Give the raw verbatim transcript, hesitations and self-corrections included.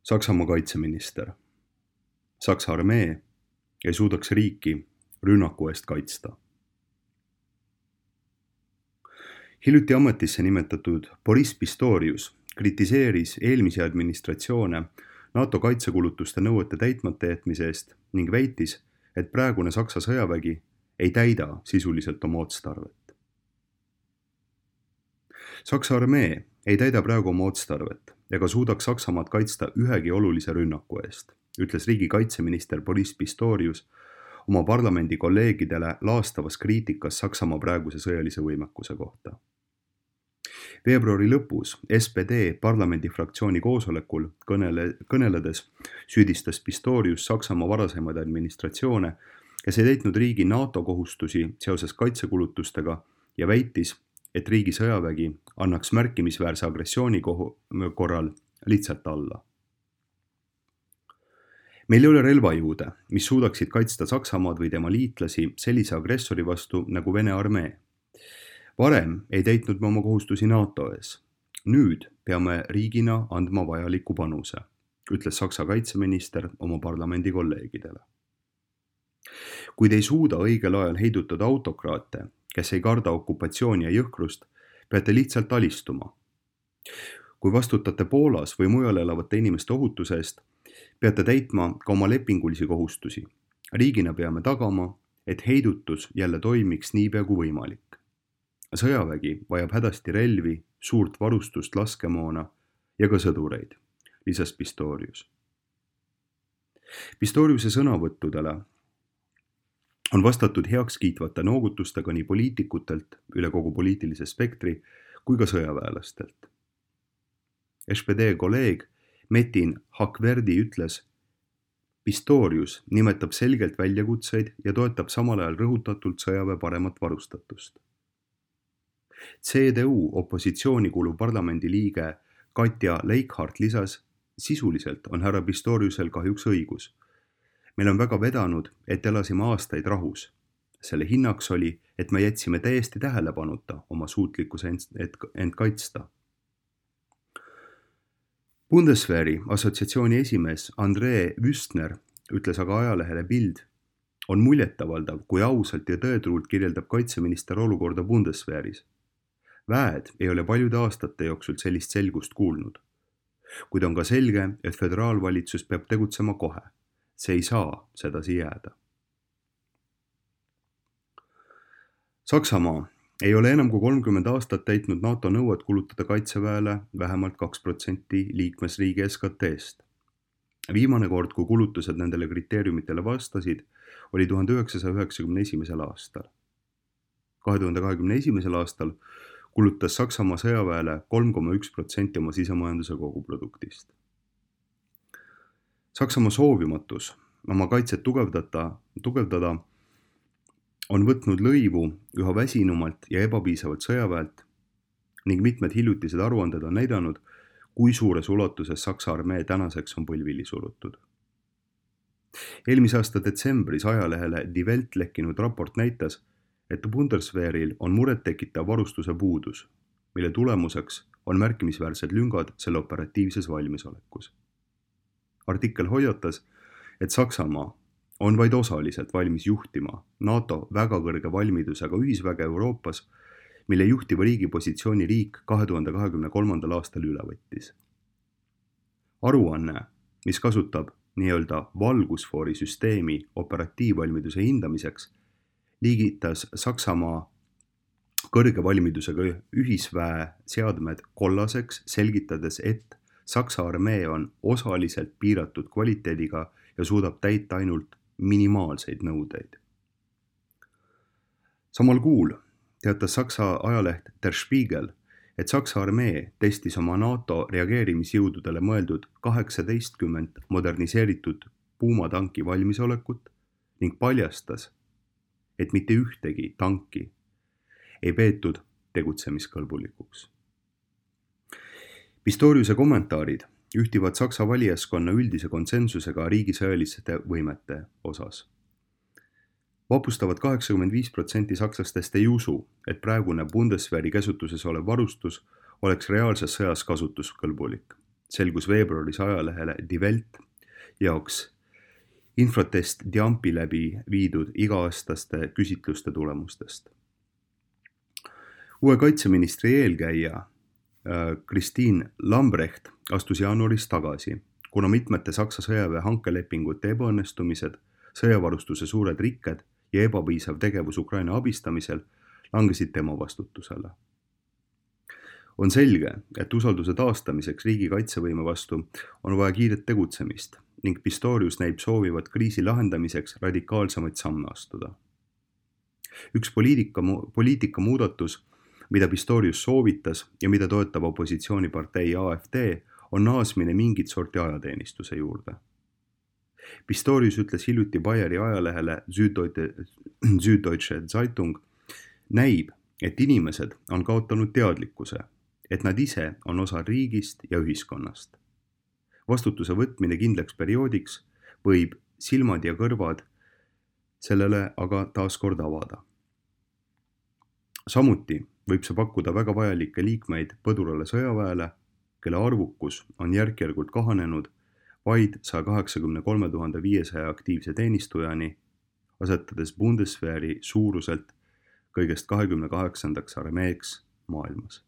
Saksamaa kaitseminister. Saksa armee ei suudaks riiki rünnaku eest kaitsta. Hiljuti ametisse nimetatud Boris Pistorius kritiseeris eelmisi administratsioone NATO kaitsekulutuste nõuete täitmata jätmise eest ning väitis, et praegune Saksa sõjavägi ei täida sisuliselt oma otstarvet. Saksa armee ei täida praegu oma otstarvet ega suudaks Saksamaad kaitsta ühegi olulise rünnaku eest, ütles riigi kaitseminister Boris Pistorius oma parlamendi kolleegidele laastavas kriitikas Saksamaa praeguse sõjalise võimekuse kohta. Veebruari lõpus S P D parlamendi fraktsiooni koosolekul kõnele, kõneledes süüdistas Pistorius Saksamaa varasemaid administratsioone, kes ei täitnud riigi NATO kohustusi seoses kaitsekulutustega ja väitis, et riigi sõjavägi annaks märkimisväärse agressiooni korral lihtsalt alla. Meil ei ole relvajõude, mis suudaksid kaitsta Saksamaad või tema liitlasi sellise agressori vastu nagu Vene armee. Varem ei täitnud me oma kohustusi NATO ees. Nüüd peame riigina andma vajaliku panuse, ütles Saksa kaitseminister oma parlamendi kolleegidele. Kuid ei suuda õigel ajal heidutada autokraate, kes ei karda okupatsiooni ja jõhkrust, peate lihtsalt alistuma. Kui vastutate Poolas või mujal elavate inimeste ohutuse eest, peate täitma ka oma lepingulisi kohustusi. Riigina peame tagama, et heidutus jälle toimiks niipea kui võimalik. Sõjavägi vajab hädasti relvi, suurt varustust, laskemoona ja ka sõdureid, lisas Pistorius. Pistoriuse sõnavõttudele on vastatud heakskiitvate noogutustega nii poliitikutelt üle kogu poliitilise spektri kui ka sõjaväelastelt. S P D kolleeg Metin Hakverdi ütles, Pistorius nimetab selgelt väljakutseid ja toetab samal ajal rõhutatult sõjaväe paremat varustatust. C D U opositsiooni kuuluv parlamendi liige Katja Leikhardt lisas, sisuliselt on härra Pistoriusel kahjuks õigus. Meil on väga vedanud, et elasime aastaid rahus. Selle hinnaks oli, et me jätsime täiesti tähelepanuta oma suutlikkuse end kaitsta. Bundeswehri assotsiatsiooni esimees André Wüstner ütles aga ajalehele Bild, on muljetavaldav, kui ausalt ja tõetruult kirjeldab kaitseminister olukorda Bundeswehris. Väed ei ole paljude aastate jooksul sellist selgust kuulnud. Kuid on ka selge, et föderaalvalitsus peab tegutsema kohe. See ei saa sedasi jääda. Saksamaa ei ole enam kui kolmkümmend aastat täitnud NATO nõuet kulutada kaitseväele vähemalt kaks protsenti liikmesriigi S K T-st. Viimane kord, kui kulutused nendele kriteeriumitele vastasid, oli tuhande üheksasaja üheksakümne esimesel aastal. kahe tuhande kahekümne esimesel aastal kulutas Saksamaa sõjaväele kolm koma üks protsenti oma sisemajanduse koguproduktist. Saksamaa soovimatus oma kaitset tugevdada, tugevdada on võtnud lõivu üha väsinumalt ja ebapiisavalt sõjaväelt ning mitmed hiljutised aruanded on näidanud, kui suures ulatuses Saksa armee tänaseks on põlvili surutud. Eelmise aasta detsembris ajalehele Die Welt lekkinud raport näitas, et Bundeswehril on muret tekitav varustuse puudus, mille tulemuseks on märkimisväärsed lüngad selle operatiivses valmisolekus. Artikkel hoiatas, et Saksamaa on vaid osaliselt valmis juhtima NATO väga kõrge valmidusega ühisväge Euroopas, mille juhtiva riigi positsiooni riik kahe tuhande kahekümne kolmandal aastal üle võttis. Aruanne, mis kasutab nii-öelda valgusfoori süsteemi operatiivvalmiduse hindamiseks, liigitas Saksamaa kõrge valmidusega ühisväe seadmed kollaseks, selgitades, et Saksa armee on osaliselt piiratud kvaliteediga ja suudab täita ainult minimaalseid nõudeid. Samal kuul teatas Saksa ajaleht Der Spiegel, et Saksa armee testis oma NATO reageerimisjõududele mõeldud kaheksateistkümmend moderniseeritud puumatanki valmisolekut ning paljastas, et mitte ühtegi tanki ei peetud tegutsemiskõlbulikuks. Pistoriuse kommentaarid ühtivad Saksa valijaskonna üldise konsensusega riigi sõjaliste võimete osas. Vapustavad kaheksakümmend viis protsenti sakslastest ei usu, et praegune Bundeswehri käsutuses olev varustus oleks reaalses sõjas kasutuskõlbulik. selgus veebruaris ajalehele Die Welt jaoks Infotest Diampi läbi viidud iga-aastaste küsitluste tulemustest. Uue kaitseministri eelkäija Christine Lambrecht astus jaanuaris tagasi, kuna mitmete Saksa sõjaväe hankelepingute ebaõnnestumised, sõjavarustuse suured rikked ja ebapiisav tegevus Ukraina abistamisel langesid tema vastutusele. On selge, et usalduse taastamiseks riigi kaitsevõime vastu on vaja kiiret tegutsemist ning Pistorius näib soovivat kriisi lahendamiseks radikaalsemaid samme astuda. Üks poliitika, poliitika muudatus, mida Pistorius soovitas ja mida toetab opositsioonipartei A F D, on naasmine mingit sorti ajateenistuse juurde. Pistorius ütles hiljuti Bayeri ajalehele Süddeutsche Zeitung, näib, et inimesed on kaotanud teadlikkuse, et nad ise on osa riigist ja ühiskonnast. Vastutuse võtmine kindlaks perioodiks võib silmad ja kõrvad sellele aga taas kord avada. Samuti võib see pakkuda väga vajalikke liikmeid põdurale sõjaväele, kelle arvukus on järk-järgult kahanenud vaid sada kaheksakümmend kolm tuhat viissada aktiivse teenistujani, asetades Bundeswehri suuruselt kõigest kahekümne kaheksandaks armeeks maailmas.